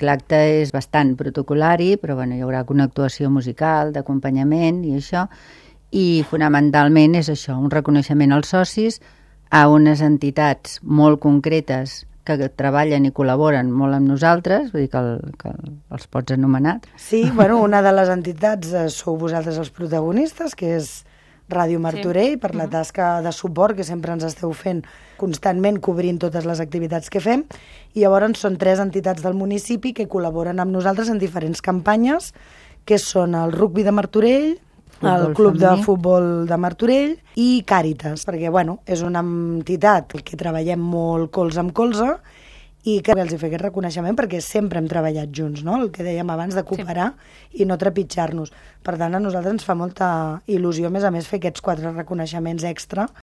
L'acte és bastant protocolari, però bueno, hi haurà una actuació musical, d'acompanyament i això, i fonamentalment és això, un reconeixement als socis, a unes entitats molt concretes que treballen i col·laboren molt amb nosaltres, vull dir que els pots anomenar. Sí, bueno, una de les entitats sou vosaltres els protagonistes, que és Ràdio Martorell, per la tasca de suport que sempre ens esteu fent constantment, cobrint totes les activitats que fem, i llavors són 3 entitats del municipi que col·laboren amb nosaltres en diferents campanyes, que són el Rugby de Martorell, el Club de Futbol de Martorell i Càritas, perquè bueno, és una entitat que treballem molt colze amb colze i que els hi fer aquest reconeixement perquè sempre hem treballat junts, no? El que dèiem abans de cooperar i no trepitjar-nos. Per tant, a nosaltres ens fa molta il·lusió, a més, fer aquests 4 reconeixements extra